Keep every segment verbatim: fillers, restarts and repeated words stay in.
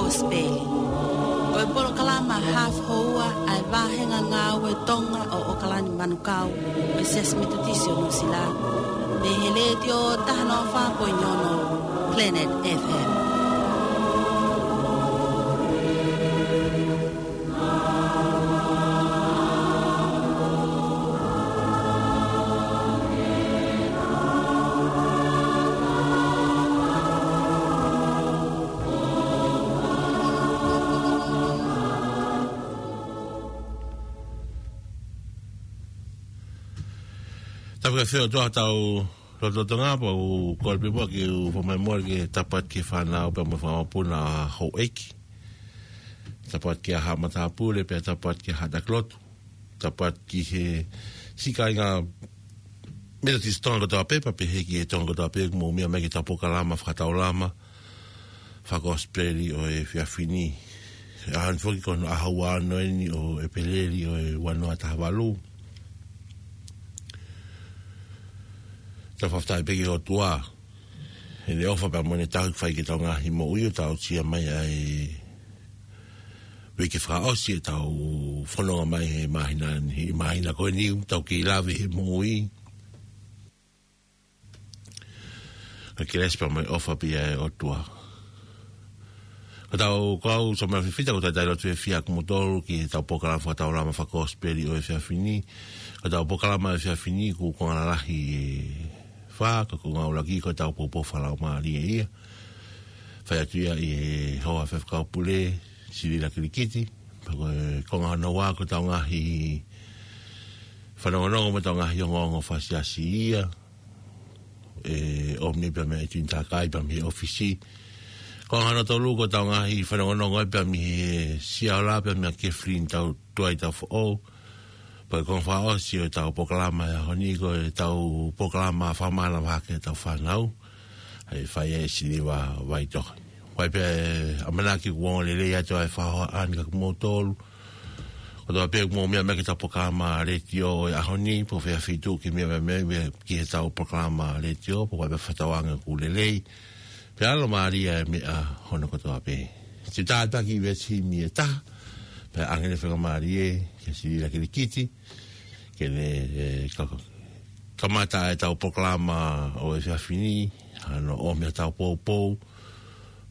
Kosipeli. Ko e polokalama hafu houa ʻa e vāhenga ngāue Tonga ʻo ʻOkalani Manukau ʻo e Siasi Metotisi ʻo Nuʻusila, mei he Letiō taha noa fā poini ono Planet F M. Tapu ke feo tua tau lototonga pa u kole pē pua ke u fomai mole ke tapu atu ki he fānau pea mo e fanga mokopuna ʻa houʻeiki. Tapu atu ki he haʻa matāpule pea tapu atu ki he haʻa takilotu. Tapu atu ki he siʻi kāinga Metotisi Tonga kotoa pē, pea pehē ki he Tonga kotoa pē, ʻoku mou meʻa mai ki heʻetau polokalama fakataulama fakakosipeli ʻo e efiafi ni. ʻAho ni foki ko hono ʻaho ua ono eni ʻo ʻEpeleli ʻo e ua noa taha valu. Tau fakafetaʻi pē ki he ʻOtua heʻene ʻofa pea mo ʻene tauhi fai ki heʻetau ngaahi moʻui ʻo tau aʻusia mai ʻa e uike fakaʻosi ʻetau fononga mai he māhina ni, he māhina ko eni ʻoku tau kei lave he moʻui. Ka kelesi pea mo e ʻofa pē ia ʻa e ʻOtua. Ko ʻetau kau Samuela Fifita, ko e talitali lotu fiefia ʻa kimoutolu ki heʻetau polokalama fakataulama fakakosipeli ʻo e efiafi ni. Ko ʻetau polokalama efiafi ni ʻoku konga lalahi ʻe fā, ka ko e konga ʻuluaki ko ʻetau poupou fakalaumālie ia. Fai atu ia ʻi he hoa faifekau pule, Silila Kilikiti. Pea ko e konga hono ua ko ʻetau ngaahi fanongonongo mo ʻetau ngaahi ongoongo fakasiasi ia ʻe ʻomi pea mei he ʻEiki Tuʻi Takai pea mei he ʻōfisi. Konga hono tolu ko ʻetau ngaahi fanongonongo ia pea mei he Siaola pea mei he Kefilini Tau Tuai Taufoʻou. Pea ko e konga fakaʻosi ʻo ʻetau polokalama he ʻaho ni ko ʻetau polokalama fakamanavahē ki heʻetau fānau. ʻA e fai ʻe Siliva Vaitohi. Ko e pē ʻamanaki kuo ongo lelei atu ʻa e fakahohaʻa ni kiate kimoutolu kotoa pē ʻoku mou meʻa mai ki heʻetau polokalama letiō ʻo e ʻaho ni, pe ko fē feituʻu ʻoku ke meʻa mai ai ki heʻetau polokalama letiō, pe ko e pē fakatauange ʻoku lelei. Pea ʻalu mālie ʻa e meʻa hono kotoa pē. Siʻi tātaki veesi himi ʻe taha, pea ʻoange ʻene faingamālie kia Silila Kilikiti ke ne, ē, ka-, kamata ʻetau polokalama ʻo e efiafi ni, ʻa hono ʻomi ʻetau poupou,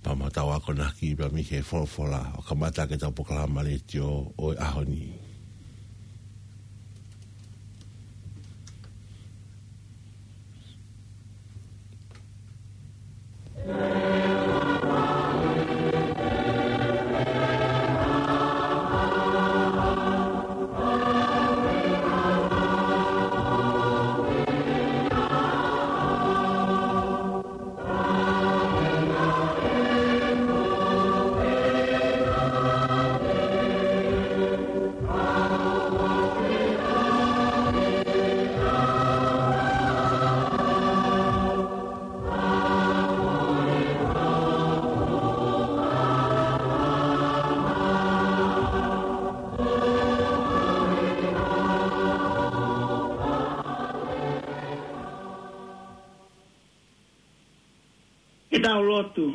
pea mo ʻetau akonaki pea mei he folofola ʻo kamata ʻetau polokalama letiō ʻo e ʻaho ni. Ke tau lotu.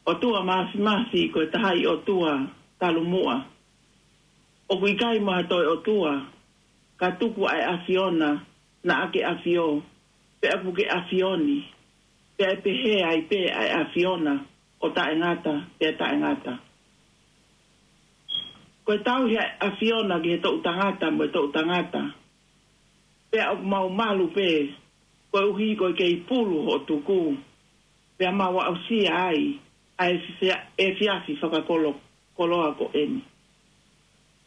ʻOtua Māfimafi, ko e taha ʻi ʻOtua talu muʻa. ʻOku ʻikai mo ha toe ʻOtua, ka tuku ʻa e ʻAfiona naʻa ke ʻafio, pea ʻoku ke ʻafio ni, pea ʻe pehē ai pē ʻa e ʻAfiona ʻo taʻengata pea taʻengata. Ko e tauhi ʻa e ʻAfiona ki he toʻutangata mo e toʻutangata, pea ʻoku mau malu pē, koeʻuhi ko e kei pulu hoʻo tuku, pea mau aʻusia ai ʻa e fia-, efiafi fakakolo-, koloa ko eni.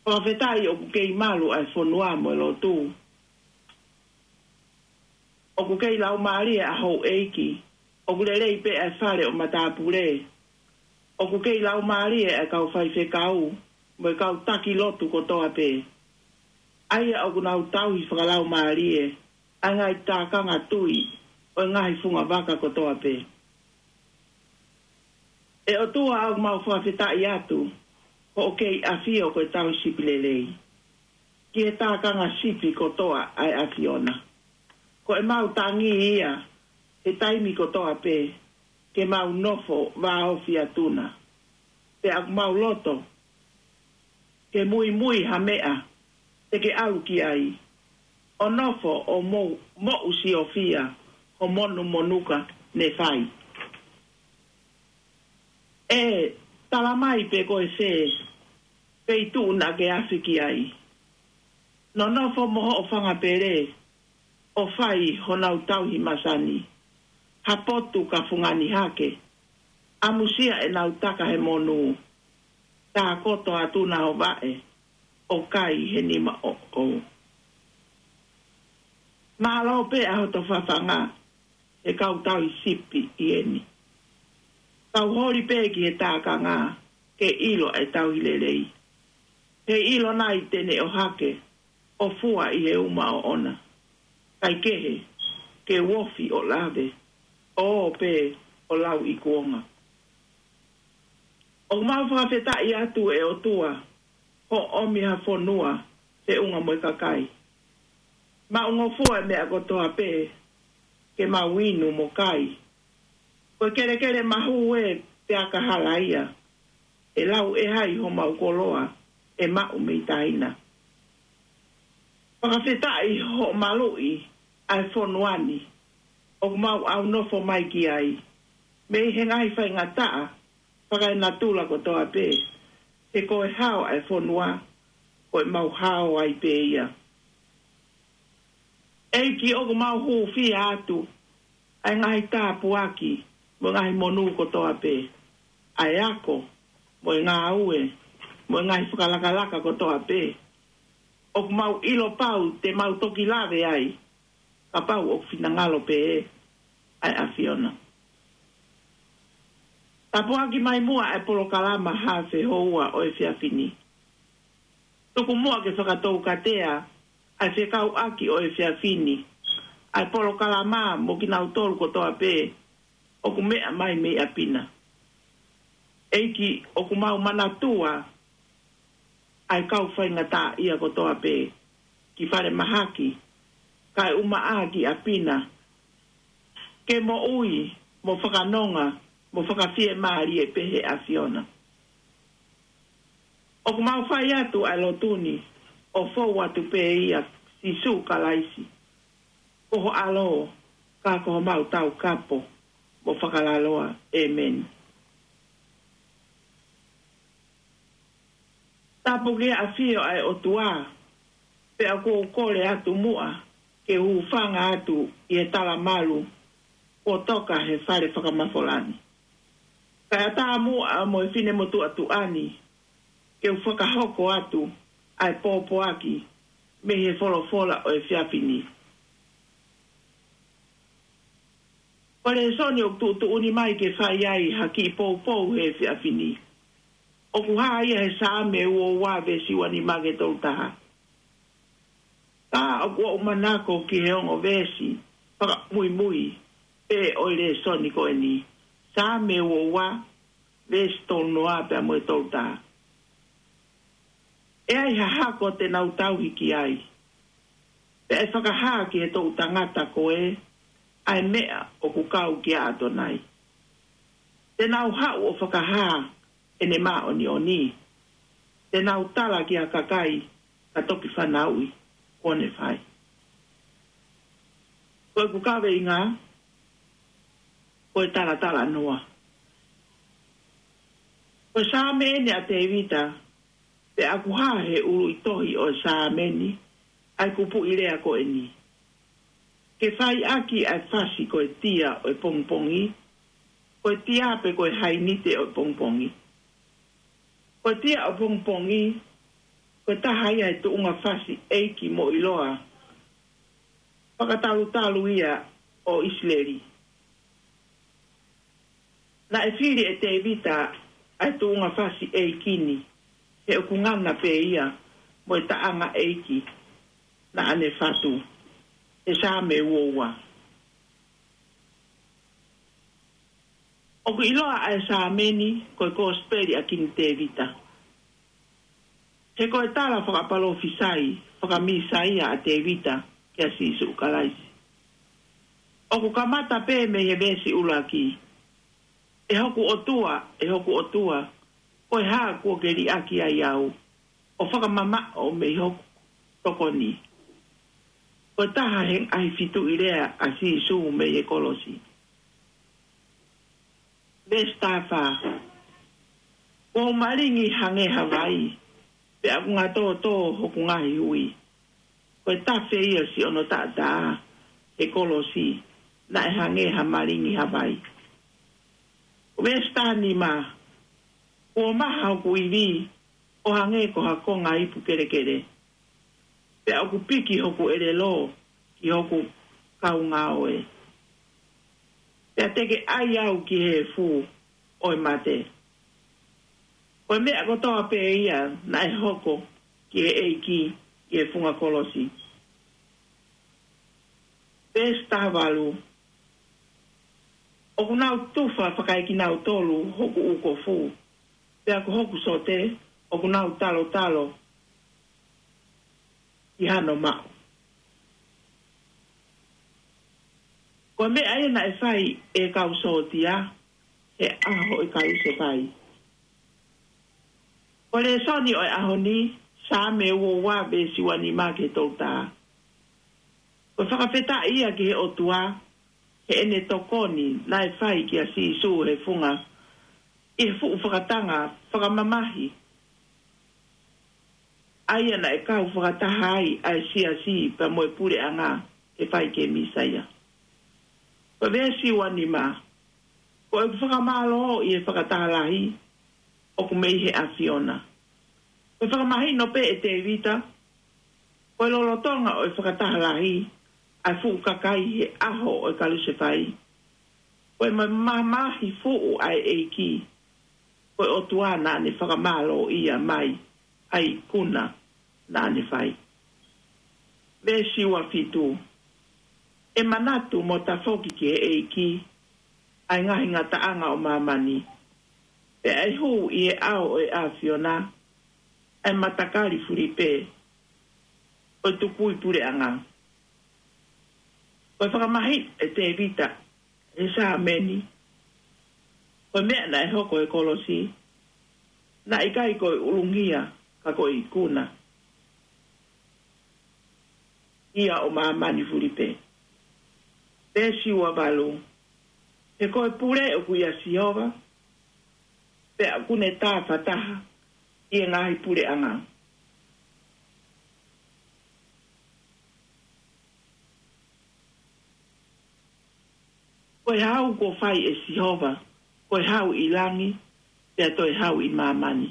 Fakafetaʻi ʻoku kei malu ʻa e fonua mo e lotu. ʻOku kei laumālie ʻa houʻeiki, ʻoku lelei pē ʻa e fale ʻo matāpule. ʻOku kei laumālie ʻa e kau faifekau, mo e kau taki lotu kotoa pē. ʻA ia ʻoku nau tauhi fakalaumālie ʻa e ngaahi tākanga tui ʻo e ngaahi funga vaka kotoa pē. ʻE ʻOtua, ʻoku mau fakafetaʻi atu, hoʻo kei ʻafio ko e tauhi sipi lelei ki he tākanga sipi kotoa ʻa e ʻAfiona. Ko ʻemau tangi ia he taimi kotoa pē, ke mau nofo vāofi atu na. pea ʻoku mau loto ke muimui ha meʻa te ke ʻalu ki ai, ʻo nofo ʻo mou moʻu siofia ho monumonuka ne fai. ʻE tala mai pe ko e fē feituʻu naʻa ke afe ki ai. Nonofo mo hoʻo fanga pele ʻo fai honau tauhi masani, ha potu ka fungani hake, ʻamusia ʻenau taka he monū, tākoto atu na ho vaʻe ʻo kai he nima ʻoʻou. Mālō pē ʻa hoto fafanga, he kau tauhi sipi ʻi heni. Kau holi pē ki he tākanga ke ʻilo ʻa e tauhi lelei. He ʻilo nai te ne ʻohake ʻo fua ʻi he uma ʻoʻona. Kaikehe, ke uofi ʻo lave, ʻo pē ʻo lau ʻi kuonga. ʻOku mau fakafetaʻi atu ʻe ʻOtua, hoʻo ʻomi ha fonua, feʻunga mo e kakai. Maʻungofua e meʻa kotoa pē, ke mau inu mo kai. Ko e kelekele mahu ē pea ka hala ia, ʻe lau ʻe hai homau koloa ʻe maʻu mei taina. Fakafetaʻi hoʻo maluʻi ʻa e fonua ni, ʻoku mau ʻaunofo mai ki ai, mei he ngaahi faingataʻa fakaenatula kotoa pē, he ko e hao ʻa e fonua, ko e mau hao ai pē ia. ʻEiki, ʻoku mau hūfia atu ʻa e ngaahi tāpuaki mo e ngaahi monū kotoa pē, ʻa e ako mo e ngāue mo e ngaahi fakalakalaka kotoa pē. ʻOku mau ʻilo pau te mau toki lave ai, kapau ʻoku finangalo pē ʻa e ʻAfiona. Tāpuaki mai muʻa ʻa e polokalama Haafe Houa ʻo e efiafi ni. Tuku muʻa ke fakatoukatea ʻa e fekauʻaki ʻo e efiafi ni, ʻa e polokalama mo kinautolu kotoa pē ʻoku meʻa mai mei ʻapi na. ʻEiki, ʻoku mau manatua ʻa e kau faingataʻaʻia kotoa pē, ki falemahaki, kae ʻumaʻā ki ʻapi na, ke moʻui mo fakanonga mo fakafiemālie pē he ʻAfiona. ʻOku mau fai atu ʻa e lotu ni ʻo fou atu pē ʻia Sīsū Kalaisi, ko ho ʻAlo, ka ko homau Taukapo mo Fakalaloa. ʻĒmeni. Tāpuakiʻi ʻa e ʻAfio ʻa e ʻOtua, pea ʻoku ou kole atu muʻa ke u hūfanga atu ʻi he talamalu kuo toka he fale fakamafola ni. Kae ʻatā muʻa mo e finemotuʻa tuʻa ni ke u fakahoko atu ʻa e pōpoaki mei he folofola ʻo e efiafi ni. Ko e lēsoni ʻoku tuʻutuʻuni mai ke fai ai ha kiʻi poupou he efiafi ni, ʻoku hā ia he Saame uo ua veesi ua nima ki he tolu taha. Ka ʻoku ou manako ki he ongo veesi fakamuimui pē ʻo e lēsoni ko eni, Saame uo ua, veesi tolu noa pea mo e tolu taha. ʻE ai ha hako te nau tauhi ki ai, pea ʻe fakahā ki he toʻu tangata ko ē ʻa e meʻa ʻoku kau kia ʻAtonai. Te nau haʻu ʻo fakahā ʻene māʻoniʻoni. Te nau tala ki ha kakai ka toki fanauʻi kuo ne fai. Ko ʻeku kaveinga, ko e talatalanoa. Ko e Saame eni ʻa Tēvita, pea ʻoku hā he ʻuluʻi tohi ʻo e Saame ni ʻa e kupuʻi lea ko eni. Ke fai ʻaki ʻa e fasi ko e tia ʻo e pongipongi, ko e tia pe ko e hainite ʻo e pongipongi. Ko e tia ʻo e pongipongi, ko e taha ia he tuʻunga fasi ʻeiki mo ʻiloa fakatalutalu ia ʻo ʻIsileli. Naʻe fili ʻe Tēvita ʻa e tuʻunga fasi ʻeiki ni, he ʻoku ngana pē ia mo e taʻanga ʻeiki naʻa ne fatu, he Saame uo ua. ʻOku ʻiloa ʻa e Saame ni ko e Kosipeli ʻa Kini Tēvita. He ko e tala fakapalōfisai fakaMīsaia ʻa Tēvita kia Sīsū Kalaisi. ʻOku kamata pē mei he veesi ʻuluaki: ʻE hoku ʻOtua, ʻe hoku ʻOtua, Ko e hā kuo ke liʻaki ai au ʻo fakamamaʻo mei hoku tokoni? Ko e taha he ngaahi fituʻi lea ʻa Sīsū mei he kolosi. Veesi taha fā. Kuo u malingi hangē ha vai, pea ʻoku ngatōtō hoku ngaahi hui. Ko e tafe ia siʻono taʻataʻa he kolosi, naʻe hangē ha malingi ha vai. Veesi taha nima. Kuo maha hoku ivi ʻo hangē ko ha konga ipu kelekele, pea ʻoku piki hoku ʻelelo ki hoku kaungāue. Pea te ke ʻai au ki he efu ʻo e mate. Ko e meʻa kotoa pē ia naʻe hoko ki he ʻEiki ʻi he funga kolosi. Veesi taha valu. ʻOku nau tufa fakaekinautolu hoku ʻū kofu, pea ko hoku sote ʻoku nau talotalo ʻi hano maʻu. Ko e meʻa ia naʻe fai ʻe he kau sōtia he ʻaho ʻo e kalusefai. Ko e lēsoni ʻo e ʻaho ni, Saame ua ua veesi ua nima ki he tolu taha. Ko e fakafetaʻi ia ki he ʻOtua heʻene tokoni naʻe fai kia Sīsū he funga ʻi he fuʻu fakatanga fakamamahi, ʻa ia naʻe kau fakataha ai ʻa e siasi pea mo e puleʻanga ke fai ki he Mīsaia. Ko e veesi ua nima. Ko ʻeku fakamālō ʻi he fakataha lahi ʻoku mei he ʻAfiona. Ko e fakamahino pē ʻe Tēvita, ko e lolotonga ʻo e fakataha lahi ʻa e fuʻu kakai he ʻaho ʻo e kalusefai, ko e mamahi fuʻu ʻa e ʻEiki, ko e ʻOtua naʻa ne fakamālōʻia mai ʻa e ikuna naʻa ne fai. Veesi ua fitu. ʻE manatu mo tafoki ki he ʻEiki ʻa e ngaahi ngataʻanga ʻo māmani, pea ʻe hū ʻi he ʻao ʻo e ʻAfiona ʻa e matakali fulipē ʻo e tukui puleʻanga. Ko e fakamahino ʻe Tēvita he Saame ni, ko e meʻa naʻe hoko he kolosi naʻe ʻikai ko e ʻulungia, ka ko e ikuna ia ʻo māmani fulipē. Veesi ua valu. He ko e pule ʻoku ʻia Sihova, pea ʻoku ne tāfataha ʻi he ngaahi puleʻanga. Ko e hau kuo fai ʻe Sihova, ko e hau ʻi langi, pea toe hau ʻi māmani.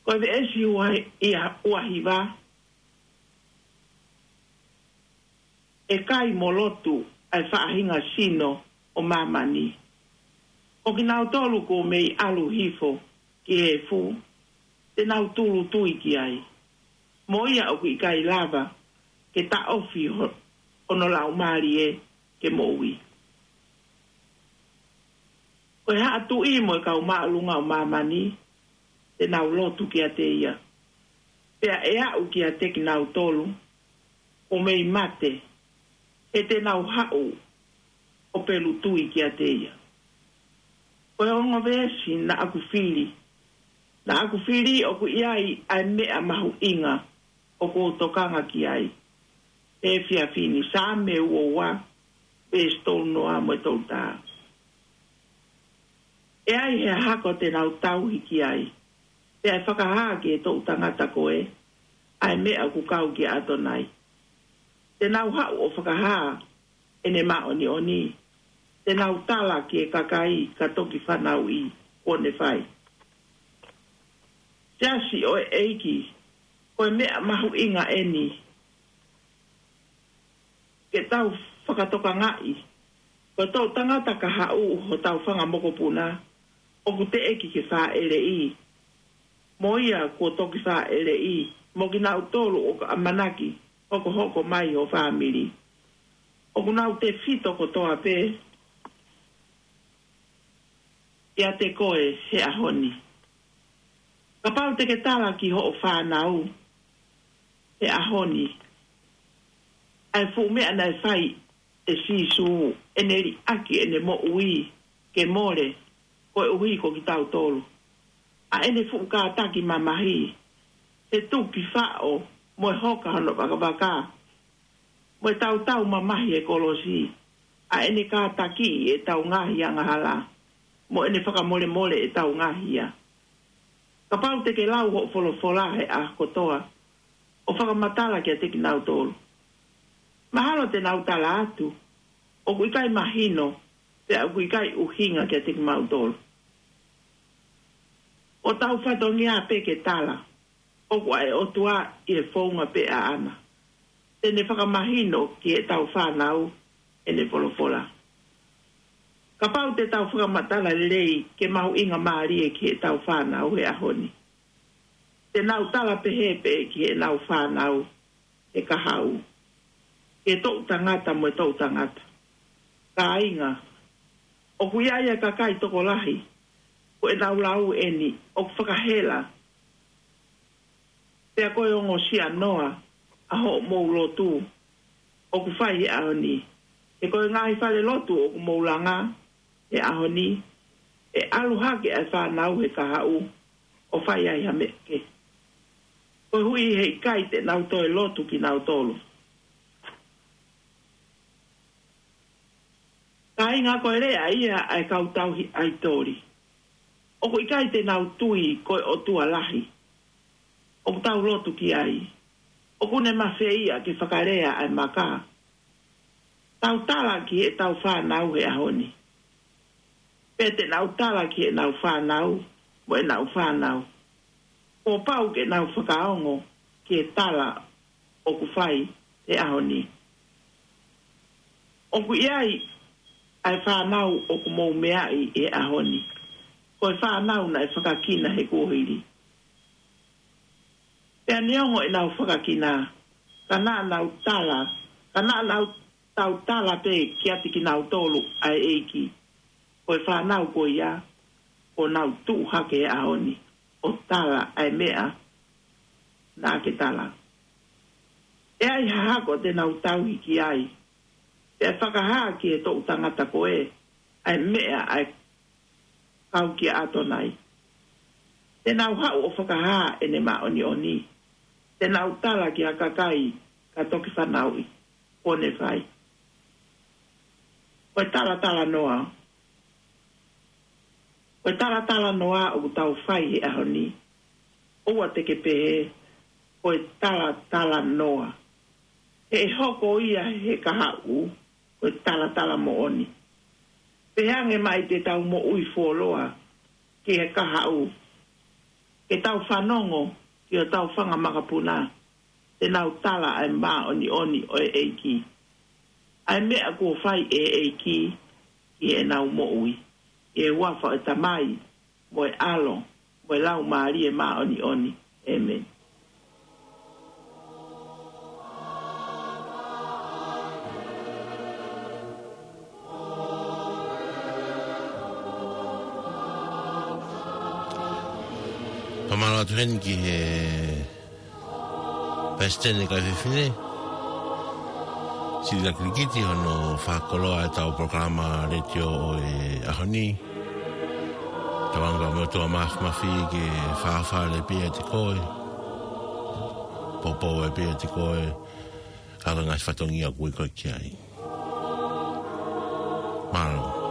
Ko e veesi ua, ʻia ua hiva. ʻE kai mo lotu ʻa e faʻahinga sino ʻo māmani. Ko kinautolu kuo mei ʻalu hifo ki he efu, te nau tūʻulutui ki ai. Mo ia ʻoku ʻikai lava ke taʻofi ho-, hono laumālie ke moʻui. Ko e haʻa tuʻi mo e kau māʻolunga ʻo māmani, te nau lotu kiate ia. Pea ʻe aʻu kiate kinautolu kuo mei mate, he te nau haʻu ʻo pelutui kiate ia. Ko e ongo veesi naʻa ku fili. Naʻa ku fili ʻoku ʻi ai ʻa e meʻa mahuʻinga ʻoku ou tokanga ki ai he efiafi ni, Saame ua ua, veesi tolu noa mo e tolu taha. ʻE ai he hako te nau tauhi ki ai, pea ʻe fakahā ki he toʻu tangata ko ē ʻa e meʻa ʻoku kau kia ʻAtonai. Te nau haʻu ʻo fakahā ʻene māʻoniʻoni, te nau tala ki he kakai ka toki fanauʻi kuo ne fai. Siasi ʻo e ʻEiki, ko e meʻa mahuʻinga eni ke tau fakatokangaʻi, ko e toʻu tangata ka haʻu hotau fanga mokopuna, ʻoku teʻeki ke fāʻeleʻi mo ia kuo toki fāʻeleʻi, mo kinautolu ʻoku ʻamanaki hokohoko mai ho fāmili. ʻOku nau tefito kotoa pē ʻiate koe he ʻaho ni. Kapau te ke tala ki hoʻo fānau he ʻaho ni ʻa e fuʻu meʻa naʻe fai ʻe Sīsū, ʻene liʻaki ʻene moʻui ke mole koeʻuhi ko kitautolu. ʻa ʻene fuʻu kātaki mamahi, he tuki faʻo mo e hoka hono vakavaka, mo e tautau mamahi he kolosi, ʻa ʻene kātakiʻi ʻetau ngaahi angahala, mo ʻene fakamolemole ʻetau ngaahi hia. Kapau te ke lau hoʻo folofola he ʻaho kotoa, ʻo fakamatala kiate kinautolu. Mahalo te nau tala atu, ʻoku ʻikai mahino, pea ʻoku ʻikai ʻuhinga kiate kimautolu. ʻO tau fatongia pē ke tala, ʻoku ʻa e ʻOtua ʻi he founga pē ʻaʻana. Te ne fakamahino ki heʻetau fānau ʻene folofola. Kapau te tau fakamatala lelei ke mahuʻinga mālie ki heʻetau fānau he ʻaho ni. Te nau tala pehē pē ki heʻenau fānau he kahaʻu, ki he toʻu tangata mo e toʻu tangata. Kāinga, ʻoku ʻi ai e kakai tokolahi, ko ʻenau lau eni, ʻoku fakahela, pea ko e ongosia noa ʻa hoʻomou lotu ʻoku fai he ʻaho ni. He ko e ngaahi fale lotu ʻoku mou langa he ʻaho ni, ʻe ʻalu hake ʻa e fānau he kahaʻu ʻo fai ai ha meʻa kehe. Koeʻuhi he ʻikai te nau toe lotu kinautolu. Kāinga, ko e lea ia ʻa e kau tauhi ʻaitoli. ʻOku ʻikai te nau tui ko e ʻotua lahi ʻoku tau lotu ki ai. ʻOku ne mafeia ke fakalea ʻa e maka. Tau tala ki heʻetau fānau he ʻaho ni. Pea te nau tala ki heʻenau fānau, mo ʻenau fānau. Kuo pau ke nau fakaongo ki he tala ʻoku fai he ʻaho ni. ʻOku ʻi ai ʻa e fānau ʻoku mou meaʻi he ʻaho ni. Ko e fānau naʻe fakakina he kuohili. Pea neongo ʻenau fakakina, ka naʻa nau tala, ka naʻa nau tau tala pē kiate kinautolu ʻa e ʻEiki. Ko e fānau ko ia, ʻoku nau tuʻu hake he ʻaho ni ʻo tala ʻa e meʻa naʻa ke tala. ʻE ʻi ai ha hako te nau tauhi ki ai, pea fakahā ki he toʻu tangata ko ē ʻa e meʻa ʻa e kau kia ʻAtonai. Te nau haʻu ʻo fakahā ʻene māʻoniʻoni. Te nau tala ki ha kakai ka toki fanauʻi, kuo ne fai. Ko e talatala noa. Ko e talatala noa ʻoku tau fai he ʻaho ni. ʻOua te ke pehē, ko e talatala noa. He ʻe hoko ia he kahaʻu, ko e talatala moʻoni. Pehē ange mai te tau moʻui fuoloa ki he kahaʻu. Ke tau fanongo ki hotau fanga makapuna. Te nau tala ʻa e māʻoniʻoni ʻo e ʻEiki. ʻA e meʻa kuo fai ʻe he ʻEiki ki heʻenau moʻui. ʻI he huafa ʻo e Tamai, mo e ʻAlo, mo e Laumālie Māʻoniʻoni. ʻĒmeni. Fakamālō atu heni ki he Palesiteni Kaifefine Sili Lakirikiti hono fakakoloa ʻetau polokalama letiō ʻo e ʻaho ni. Tauange pea mo e ʻOtua Māfimafi ke fāfale pē ʻiate koe, poupou pē ʻiate koe, ʻa e ngaahi fatongia ʻoku ʻi ai koe ki ai. Mālō.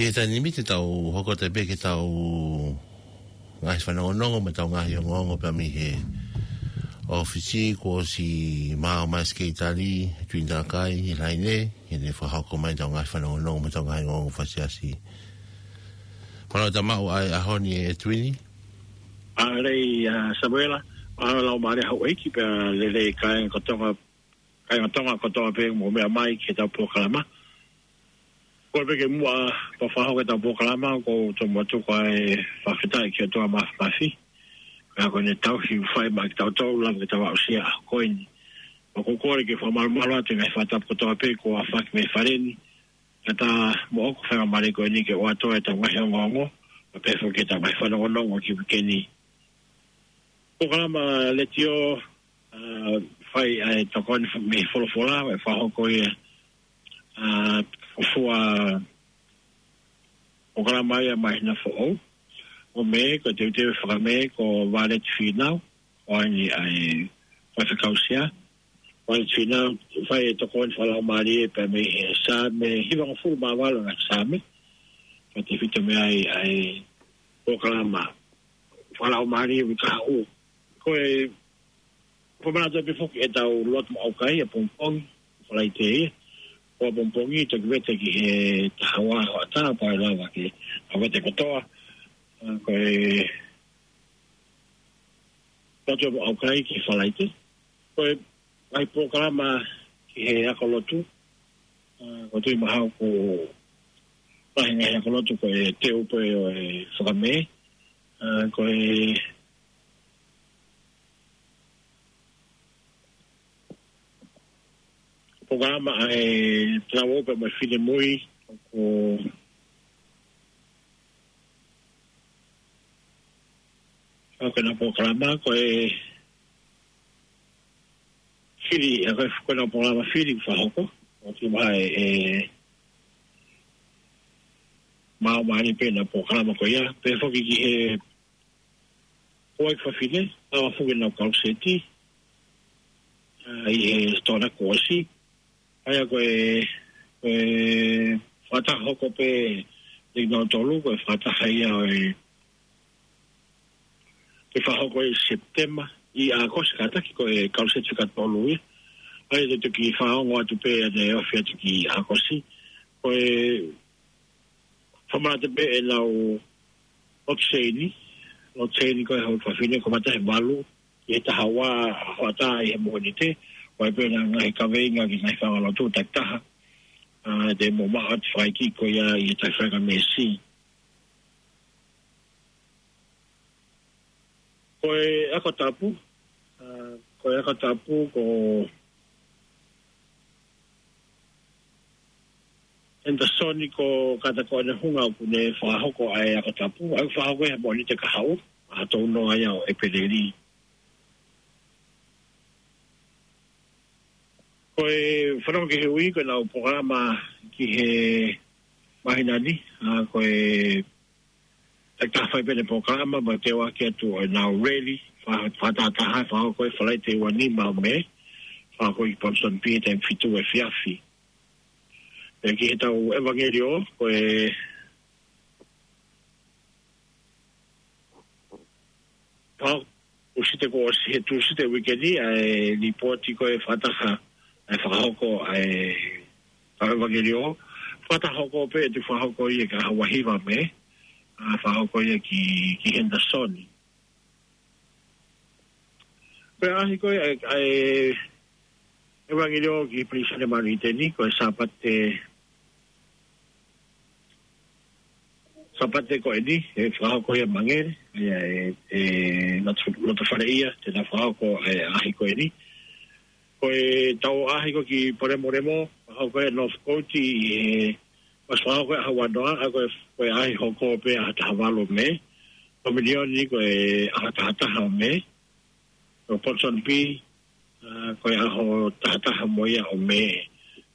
ʻI he taimi ni te tau hoko atu pē ki heʻetau ngaahi fanongonongo mo ʻetau ngaahi ongoongo pea mei he ʻōfisi kuo ʻosi maʻu mai ʻe Sekelitali Tuini Takai ʻi Laine, ke ne fakahoko mai ʻetau ngaahi fanongonongo mo ʻetau ngaahi ongoongo fakaʻosi. Mālō e tau maʻu ʻa e ʻaho ni ʻe Tuini. Mālō ʻa Samuela, mālō e laumālie houʻeiki pea lelei kāinga Tonga, kāinga Tonga kotoa pē mou meʻa mai ki heʻetau polokalama. Ko e pē ke muʻa pea fakahoko ʻetau polokalama, ʻoku ou tomuʻa tuku ʻa e fakafetaʻi ki he ʻOtua Māfimafi. Ko ia ko ʻene tauhi ʻoku fai maʻa kitautolu, lava ke tau aʻusia ʻa e ʻaho ko eni. ʻOku ou kole ke fakamalumalu atu e ngaahi fakatapu kotoa pē kuo aofaki mei fale ni. Kae ʻatā moʻoku e faingamālie ko eni ke ʻoatu ʻetau ngaahi ongoongo, pea pehē foki ki heʻetau ngaahi fanongonongo ki he uike ni. Polokalama letiō, ʻa, fai ʻa e tokoni mei he folofola, ʻe fakahoko ia, ʻa, fuofua polokalama ia māhina foʻou. ʻO Mē, ko e teuteu fakamē ko Vāleti Fīnau, ʻo ʻi ai ʻa e faifekau sea. Vāleti Fīnau, fai e tokoni fakalaumālie pea mei he Saame hivangofulu mā valu ʻa e Saame. Kae tefito mei ai ʻa e polokalama fakalaumālie ʻi he kahaʻu. Ko e fakamanatu pē foki ʻetau lotu maʻu kai ʻapongipongi, Falaite ia. Ko ʻapongipongi toki vete ki he taha ua hoʻatā pea ʻe lava ke vete kotoa. ʻA, ko e lotu maʻu kai ki Falaite. Ko e ngaahi polokalama ki he ako lotu. ʻA, ʻoku ou tui mahalo ʻoku lahi e ngaahi ako lotu ko e teu pē ʻo e fakamē. ʻA, ko e polokalama ʻa e Tau Ō Pē Mo e Finemui, ʻoku ʻa ko ʻena polokalama, ko e fili, ʻa ko e, ko ʻena polokalama fili fakahoko, ʻoku ou tui mahalo ʻe, ʻe maʻu mai pē ʻena polokalama ko ia, pehē foki ki he houʻeiki fafine, ʻa ʻoku foki ʻenau kaluseti, ʻa, ʻi he sitoa kuo ʻosi, ʻa ia ko e, ko e fakataha hoko pē ʻe kinautolu, ko e fakataha ia ʻo e, ke fakahoko ʻi Sepitema, ʻi ʻAokosi kātaki ko e kaluseti fika tolu ia. ʻA ia te u toki fakaongo atu pē ʻanenai ʻo aʻu atu ki ʻAokosi. Ko e fakamanatu pē ʻenau lotu seini, lotu seini ko e houʻeiki fafine, kamata he valu, ʻi he taha ua hoʻatā ʻi he Mōnite, ʻo ʻai pē ʻena ngaahi kaveinga ki he ngaahi fanga lotu takitaha, ʻa, te mou maʻu atu e fakaikiiki ko ia ʻi he taʻu fakameesi. Ko e ako tapu, ʻa, ko e ako tapu ko Henderson ko Kata ko ʻene hunga ʻoku ne fakahoko ʻa e ako tapu, ʻa ia ʻoku fakahoko ʻi he Mōnite kahaʻu, ʻaho tolu noa ia ʻo ʻEpeleli. Ko e fanongo ki he ui, ko ʻenau polokalama ki he māhina ni, ʻa, ko e takitaha fai pē ʻene polokalama, mo e teuaki atu ʻo ʻenau rally, fa-, fakatahataha, fakahoko ʻi Falaite ua nima ʻo Mē, fakahoko ʻi Ponsonby, taimi fitu efiafi. ʻE ki heʻetau ʻevangeliō, ko e Pau, Tūsite kuo ʻosi, he Tūsite uike ni, ʻa e lipooti ko e fakataha, ʻa e fakahoko, ʻa e, ʻa e ʻevangeliō. Fakataha hoko pē, ʻe fakahoko ia ki he ʻaho hiva Mē, ʻa, fakahoko ia ki, ki Henderson. Ko e ʻaʻahi ko ē, ʻa e, ʻa e ʻevangeliō ki Pilīsone Māʻoniʻoni ni, ko e Sāpate, Sāpate ko eni, ʻe fakahoko ia ʻi Mangere, ia ʻe, ʻe, loto, loto fale ia, te na fakahoko e ʻaʻahi ko eni. Ko ʻetau ʻaʻahi ko ē ki Polemolemo, fakahoko ia ʻi Northcote, ʻi he, ʻosi fakahoko ia ʻaho ua noa, ʻa ko e, ko e ʻaʻahi hoko pē ʻaho taha valu Mē, Kominioni ko e ʻaho taha taha Mē, ko Ponsonby, ʻa, ko e ʻaho taha taha mo ia ʻo Mē,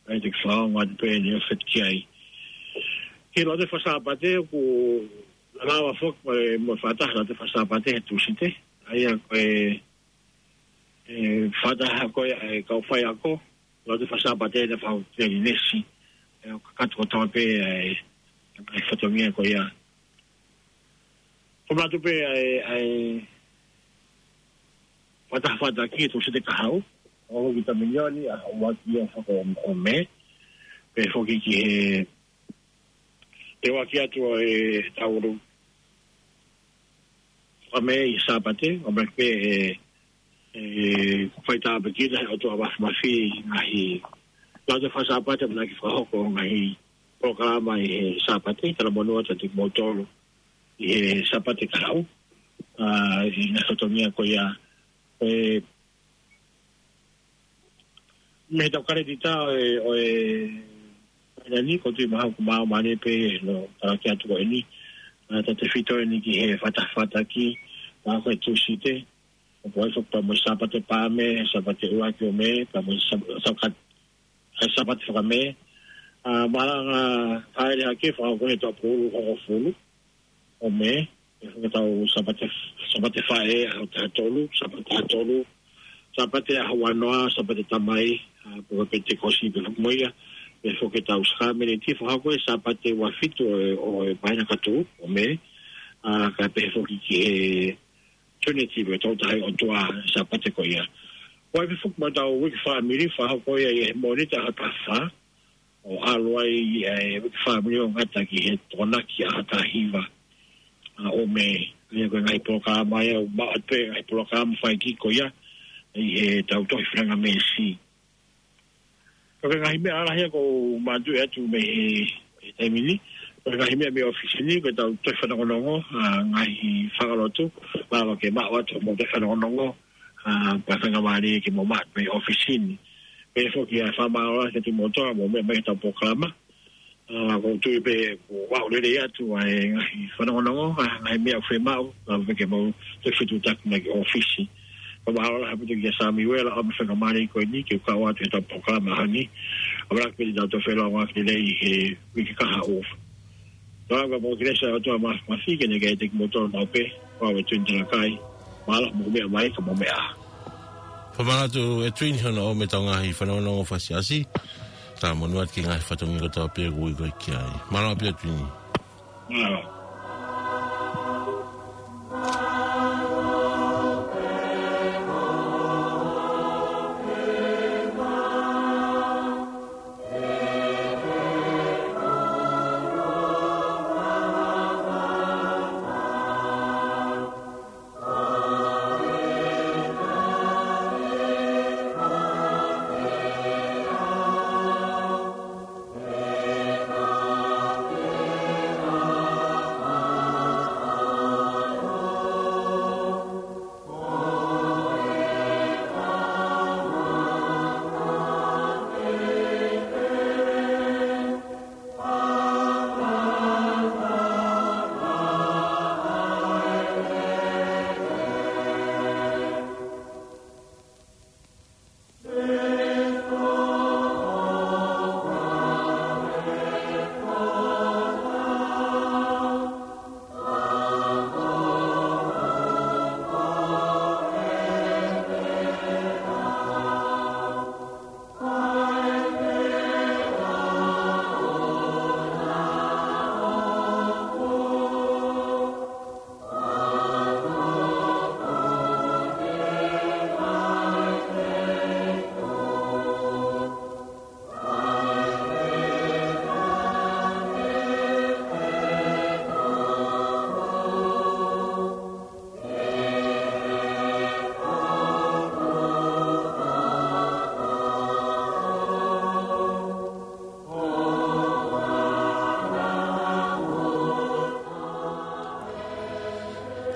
ʻa ia te u fakaongo atu pē ʻeni ʻo feti ki ai. Ki he lotu faka-Sāpate, ʻoku lava foki mo e, mo e fakataha lotu faka-Sāpate he Tūsite, ʻa ia ko e, e, fakataha ko ē, e, kau faiako, lotu faka-Sāpate naʻe fakahoko ʻi Telinesi, ʻe, ʻo kakato kotoa pē, e, ʻa e fatongia ko ia. Ko mātou pē ʻa e, ʻa e fatafataki ʻe Tūsite kahaʻu, ʻo hoki taminioni ʻa ʻuluaki ʻo faka-, ʻo Mē, pea foki ki he, te waki atu ʻo e taulu ʻa Mē ʻi Sāpate, ʻo Mē pē ʻe, ʻe faitāpuekina he ʻOtua Māfimafi ngaahi lau te fai Sāpate, mo e ngaahi fakahoko ngaahi polokalama ʻi he Sāpate, talamonū atu kiate kimoutolu ʻi he Sāpate kahaʻu, ʻa, ʻi he fatongia ko ia, ʻe, mei he tau kaletita ʻo e, ʻo e, ʻa eni, ko tui maha ku mau mane pē, no, talaki atu ko eni, ʻa, tautefito eni ki he fatafataki, ʻa, ko e Tūsite, ʻo ko e fo pea mo e Sāpate Paame, Sāpate ʻuluaki ʻo Mē, pea mo e Sā-, Sākat-, ʻa e Sāpate Faka-Mē, ʻa, mālanga haere hake, fakahoko he taʻu pulu, hongofulu ʻo Mē, ʻe faka tau Sāpate, Sāpate Faʻē, ʻaho taha tolu, Sāpate taha tolu, Sāpate ʻaho uanoa, Sāpate Tamai, ʻa, pea ko e Penitekosi pē foki mo ia, ʻe foki tau Sākalamēniti, fakahoko he Sāpate ua fitu ʻo e, ʻo e māhina ka tuʻu, ʻo Mē, ʻa, kae pehē foki ki he Trinity, pea tau taha ʻOtua, Sāpate ko ia. ʻOku ʻi ai pē foki mo ʻetau uike fāmili, fakahoko ia ʻi he Mōnite ʻaho taha fā, ʻo ʻalu ai ʻa e uike fāmili ʻo ngata ki he Tokonaki ʻaho taha hiva, ʻa, ʻo Mē, ʻa ia ko e ngaahi polokalama ia, ʻo maʻu atu pē ngaahi polokalama fai ki ko ia, ʻi he tau tohi feinga mēsi. Ko e ngaahi meʻa lahi ia ʻoku ou manatuʻi atu mei he, he taimi ni, ko e ngaahi meʻa mei ʻōfisi ni, ko e tau tohi fanongonongo, ʻa, ngaahi fanga lotu, mālō ke maʻu atu mo tohi fanongonongo, ʻa, pea faingamālie ke mou maʻu mei ʻōfisi ni. Pea foki ʻa e fakamālō kiate kimoutolu, mou meʻa mai he tau polokalama. ʻA, ʻoku ou tui pē ʻoku aʻu lelei atu ʻa e ngaahi fanongonongo, ʻa, ngaahi meʻa ʻoku fiemaʻu, ʻa, pea ke mou toe fetuʻutaki mai ki ʻōfisi. Pea mālō lahi ʻaupito kia Samiuela, ʻa, mo e faingamālie ko eni, ke u kau atu he tau polokalama ʻaho ni. ʻA, mālō pē ʻetau toe feʻiloaki lelei he uike kahaʻu. Pea ʻoku mau ʻofa ki he ʻOtua Māfimafi ke ne kei ʻiate kimoutolu maʻu pē, ʻa, ʻe Tuini Talakai. Mālō, mou meʻa mai, ka mou meʻa. Fakamālō atu ʻe Tuini hono ʻomai ʻetau ngaahi fanongonongo faka-Siasi. Talamonū atu ki he ngaahi fatongia kotoa pē ʻoku ui koe ki ai. Mālō pē Tuini. Mālō.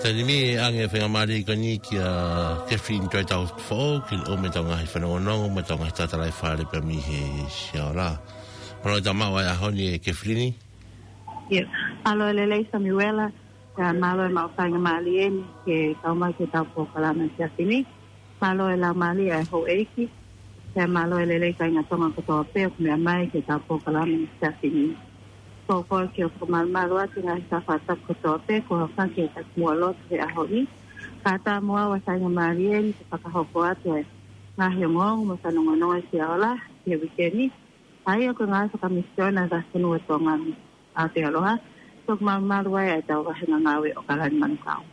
Taimi ni ʻe ʻange faingamālie ko eni kia Kefilini Toetau Foʻou, ke ne ʻomai ʻetau ngaahi fanongonongo, mo ʻetau ngaahi tala ʻi fale pea mei he Siaola. Mālō e tau maʻu ʻa e ʻaho ni ʻe Kefilini. ʻIo, mālō e lelei Samiuela, pea mālō e maʻu faingamālie ni ke kau mai ki he tau polokalama ʻi he efiafi ni. Mālō e laumālie ʻa e houʻeiki, pea mālō e lelei kāinga Tonga kotoa pē ʻoku meʻa mai ki he tau polokalama ʻi he efiafi ni. Ko koe ke u fakamālō atu ngaahi fakatapu kotoa pē kuo hoko ki he taki muʻa lotu he ʻaho ni. Kae ʻatā mo au ʻa e faingamālie ni ke fakahoko atu e ngaahi ongoongo mo e fanongonongo ʻi Siaola ʻi he uike ni. ʻA ia ko e ngaahi fakamisiona ʻa e fonua ʻo Tonga ni. ʻApialoha, toki malumalu ai ʻa e tau vahenga ngāue ʻOkalani Manukau.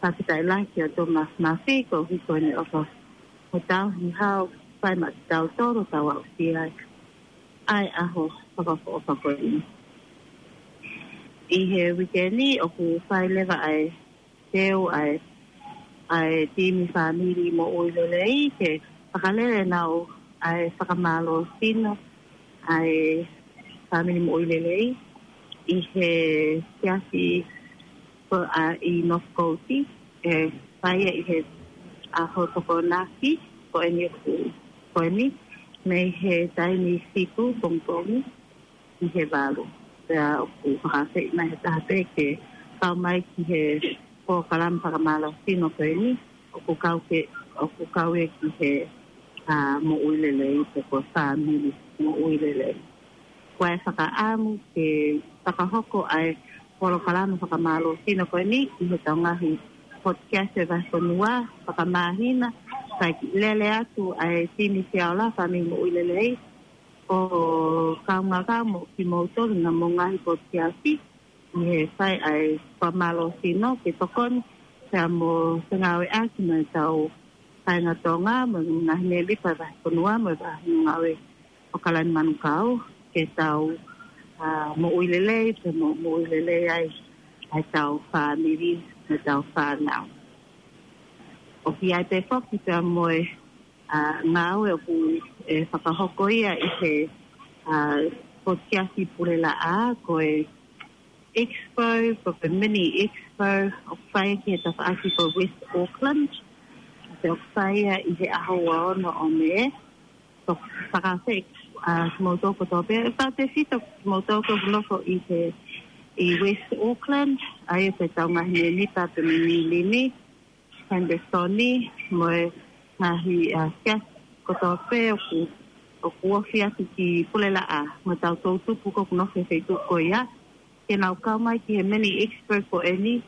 Fakafetaʻi lahi ki he ʻOtua Māfimafi, koeʻuhi ko ʻene ʻofa mo tau hi hao, fai maʻa kitautolu tau aʻusia ai ʻa e ʻaho fakaʻofoʻofa ko eni. ʻI he uike ni, ʻoku fai leva ʻa e teu ʻa e, ʻa e timi fāmili moʻui lelei ke fakalele ʻenau ʻa e fakamālō sino ʻa e fāmili moʻui lelei ʻi he siasi ko ʻa ʻi North Coast, ʻe fai ia ʻi he ʻaho Tokonaki ko eni ʻoku, ko eni, mei he taimi fitu pongipongi ʻi he valu. Pea ʻoku fakafeʻi mai he taha pē ke kau mai ki he polokalama fakamālō sino ko eni, ʻoku kau ke, ʻoku kau ia ki he, ʻa, moʻui lelei, pe ko e fāmili moʻui lelei. Ko e fakaʻamu ke fakahoko ʻa e polokalama fakamālō sino ko eni ʻi he tau ngaahi podcast ʻa e vahefonua fakamāhina, kae lele atu ʻa e timi Siaola fāmili moʻui lelei, ʻo kaungā kau mo kimoutolu naʻa mo ngaahi podcast ʻi he fai ʻa e fakamālō sino ke tokoni pea mo fengāueʻaki mo e tau kāinga Tonga mo e ngaahi mēmipa ʻa e vahefonua mo e vahenga ngāue ʻOkalani Manukau ke tau, ʻa, moʻui lelei, pea mo, moʻui lelei ai ʻa e tau fāmili mo e tau fānau. ʻOku ʻi ai pē foki pea mo e, ʻa, ngāue ʻoku, ʻe fakahoko ia ʻi he, ʻa, podcast Pulelaʻā, ko e expo, ko e mini expo, ʻoku fai ki he tafaʻaki ko West Auckland, pea ʻoku fai ia ʻi he ʻaho ua ono ʻo Mē, ʻoku fakafeʻi, ʻa, kimoutolu kotoa pē, ʻe fakafeʻi kimoutolu ʻoku nofo ʻi he, ʻi West Auckland, ʻa ia ko e tau ngaahi mēmipa pea mo Niu Lini, Henderson, mo e ngaahi, ʻa, siasi kotoa pē ʻoku, ʻoku ofi atu ki Pulelaʻā, mo e tau toʻutupu ʻoku nofo he feituʻu ko ia, ke nau kau mai ki he mini expo ko eni,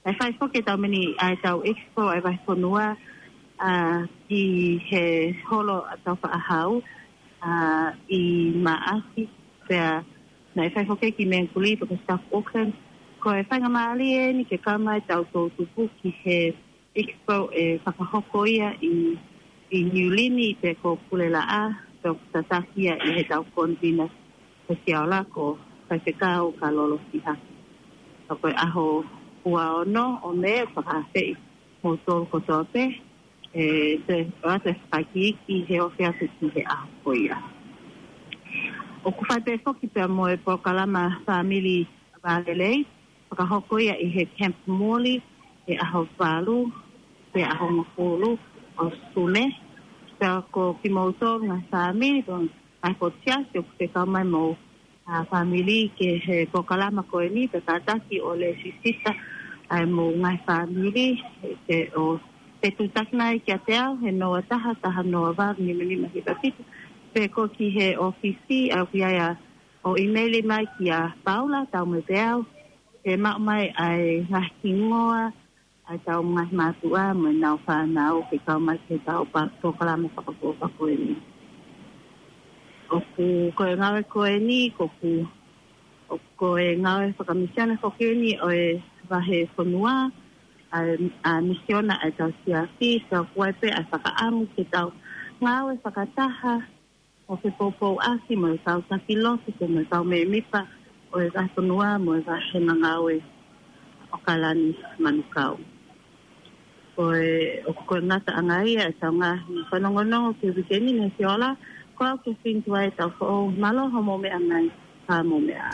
ʻe fai foki e tau mini ʻa e tau expo ʻa e vahefonua, ʻa, ʻi he holo ʻa Taufaʻāhau, ʻa, ʻi Maʻasi, pea naʻe fai foki ki Mangere, pea ko South Auckland. Ko e faingamālie eni ke kau mai tau toʻutupu ki he expo ʻe fakahoko ia ʻi, ʻi Niu Lini pe ko Pulelaʻā, pea ʻoku tataki ia ʻe he tau convener ko Siaola ko Faifekau Kalolo Sihaki. Pea ko e ʻaho ua ono ʻo Mē ʻoku fakafeʻi kimoutolu kotoa pē, ʻe, te, ʻoatu e fakaikiiki he ofi atu ki he ʻaho ko ia. ʻOku fai pē foki pea mo e polokalama fāmili vālelei, fakahoko ia ʻi he Camp Morley, he ʻaho valu, he ʻaho hongofulu ʻo Sune. Pea ko kimoutolu ngaahi fāmili, pea mo e ngaahi podcast, ʻoku ke kau mai mo, ʻa, fāmili ki he polokalama ko eni, pea kātaki ʻo lēsisita ʻa e mo ngaahi fāmili, ke ʻo, te tūtakina ai kiate au, he noa taha, taha noa valu, nima nima hiva fitu, pe ko ki he ʻōfisi, ʻa, ʻoku ʻi ai ʻa, ʻo email mai kia Paula Taumaipeau, ke maʻu mai ʻa e ngaahi hingoa ʻa e tau ngaahi mātuʻa mo e nau fānau ke kau mai ki he tau pa-, polokalama fakaʻofoʻofa ko eni. ʻOku ko e ngāue ko eni, ʻoku, ʻoku ko e ngāue fakamisiona foki eni ʻo e vahefonua, ʻa e, ʻa e misiona ʻa e tau siasi, pea ʻoku ʻi ai pē ʻa e fakaʻamu ke tau ngāue fakataha, ʻo fepoupouaki mo e kau taki lotu, pea mo e kau mēmipa ʻo e vahefonua mo e vahenga ngāue ʻOkalani Manukau. Ko e, ʻoku ko e ngataʻanga ia ʻa e tau ngaahi fanongonongo ki he uike ni, ne Siaola, ko au Kefilini Tuʻi ʻa e tau foʻou, mālō hoʻomou meʻa mai, pea mou meʻa ā.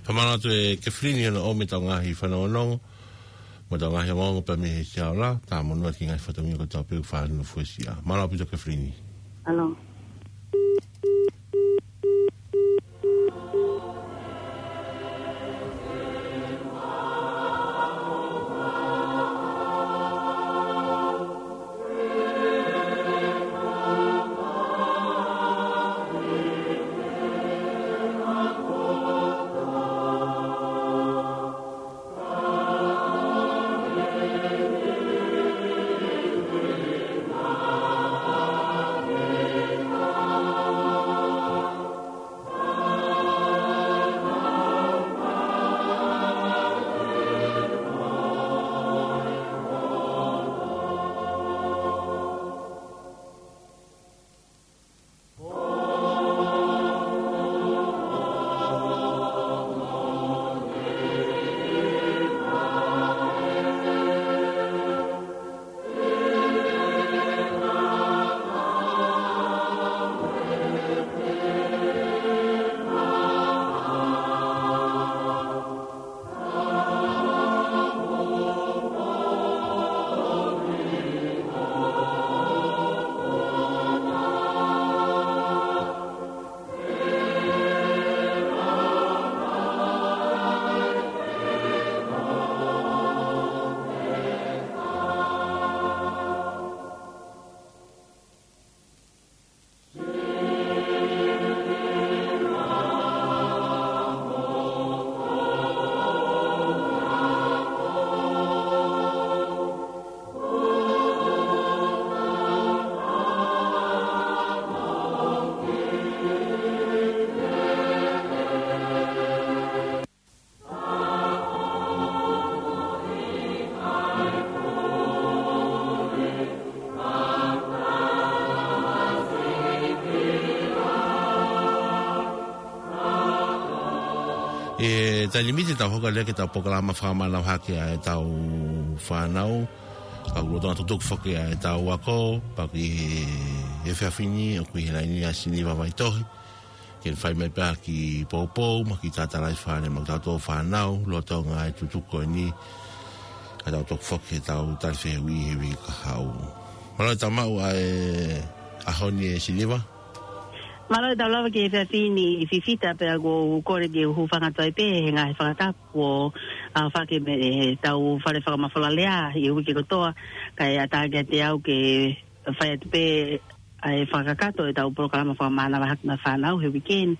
Fakamālō atu ʻe Kefilini hono ʻomi e tau ngaahi fanongonongo, mo e tau ngaahi ongoongo pea mei he Siaola, tā monū atu ki he ngaahi fatongia kotoa pē ʻoku fai hono fuesia. Mālō ʻaupito Kefilini. Mālō. Taimi ni te tau hoko atu ki heʻetau polokalama fakamānava hake ʻa ʻetau fānau. Ka ʻoku lolotonga tutuki foki ʻa ʻetau ako, pea ko e efiafi ni ʻoku ʻi he laine ʻa Siniva Vaitohi. Ke ne fai mai pē ha kiʻi poupou, mo e kiʻi tatalaifale maʻa kitautolu fānau, lolotonga e tutuku ko eni, ka tau toki foki ki heʻetau tali fehuʻi he uike kahaʻu. Mālō e tau maʻu ʻa e ʻaho ni ʻe Siniva. Mālō e tau lava ki he efiafi ni Fifita, pea ʻoku ou kole ke u hūfanga atu ai pē he ngaahi fakatapu kuo ʻaofaki mei heʻetau fale fakamafola lea ʻi he uike kotoa, kae ʻatā kiate au ke fai atu pē ʻa e fakakakato ʻetau polokalama fakamānava hake maʻa e fānau he uike ni.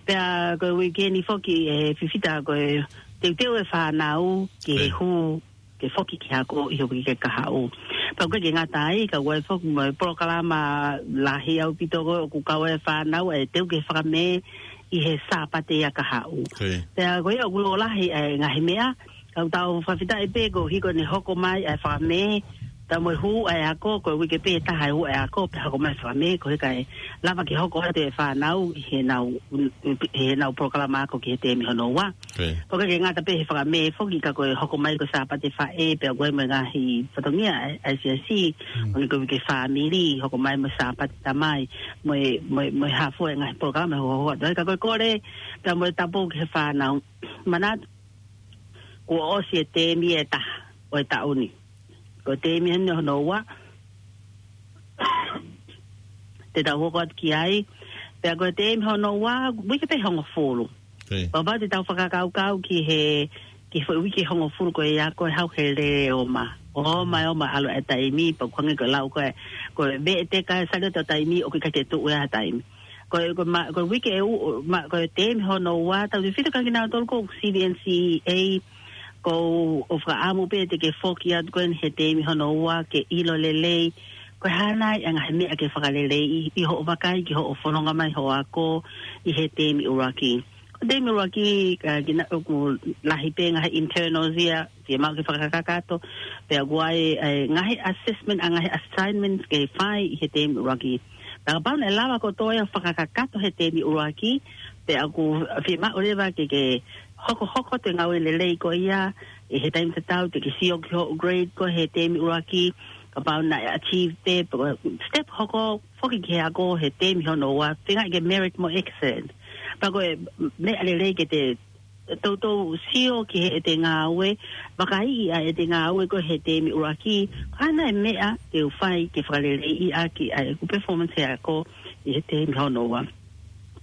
Pea ko e uike ni foki ʻe Fifita ko e teuteu e fānau ki he Ē. hū ke foki ki he ako ʻi he uike kahaʻu. Pea ʻoku ʻikai ke ngata ai, ka ʻoku ʻi ai foki mo e polokalama lahi ʻaupito ko ē ʻoku kau ai e fānau ʻe teu ke fakamē ʻi he Sāpate ia kahaʻu. Ē. Pea ko ia ʻoku lōlahi ʻa e ngaahi meʻa, ka ʻoku tau fakafetaʻi pē koeʻuhi ko ʻene hoko mai ʻa e fakamē, pea mo e hū ʻa e ako, ko e uike pē taha e hū ʻa e ako, pea hoko mai e fakamē, koeʻuhi kae lava ke hoko atu e fānau ʻi heʻenau, ʻi heʻenau polokalama ako ki he teemi hono ua. Ē. Pea ʻoku ʻikai ke ngata pē he fakamē foki ka ko e hoko mai ko e Sāpate Faʻē, pea ʻoku ʻi ai mo e ngaahi fatongia ʻa e, ʻa e siasi, Mm. ʻo ne ko e uike fāmili, hoko mai mo e Sāpate Tamai, mo e, mo e, mo e hā fua e ngaahi polokalama ʻe hokohoko atu ai, ka ko e kole, pea mo e tapu ki he fānau. Manatu, kuo ʻosi e teemi ʻe taha ʻo e taʻu ni. Ko e teemi eni hono ua, te tau hoko atu ki ai. Pea ko e teemi hono ua, uike pē hongofulu. Ē. Pea kapau te tau fakakaukau ki he, ki he foʻi uike hongofulu ko ia ko e hau he lele ʻoma. ʻOma, ʻomaʻomaʻa ʻalu e taimi, pea ʻoku hangē ko e lau ko ē, ko e veʻeteka e sale ʻo e taimi, ʻoku ʻikai ke tuʻu e taimi. Ko e, ko e ma-, ko e uike ʻe ua, ma-, ko e teemi hono ua, tautautefito kia kinautolu ko C V N C A, ʻoku ou fakaʻamu pē te ke foki atu ko eni he teemi hono ua ke ʻilo lelei ko e hā nai e ngaahi meʻa ke fakaleleiʻi ʻi hoʻo vakai ki hoʻo fononga mai hoʻo ako ʻi he teemi ʻuluaki. Ko e teemi ʻuluaki, ka kina ʻoku lahi pē ngaahi internals ia, fiemaʻu ke fakakakato, pea ʻoku ʻi ai, ʻa e ngaahi assessment, ʻa e ngaahi assignments ke fai ʻi he teemi ʻuluaki. Pea kapau naʻe lava kotoa ia ʻo fakakakato he teemi ʻuluaki, pea ʻoku fiemaʻu leva ke, ke hokohoko atu e ngāue lelei ko ia, ʻi he taimi tatau te ke sio ki hoʻo grade ko ē he teemi ʻuluaki, kapau naʻe achieve pē, pe ko e step hoko foki ki he ako he teemi hono ua, feinga ke merit mo excellent. Pea ko e meʻa lelei ke te toutou sio ki heʻete ngāue, vakaiʻi ʻa ʻete ngāue ko ē he teemi ʻuluaki, ko e hā nai e meʻa te u fai ke fakaleleiʻi ʻaki ʻa ʻeku performance he ako ʻi he teemi hono ua.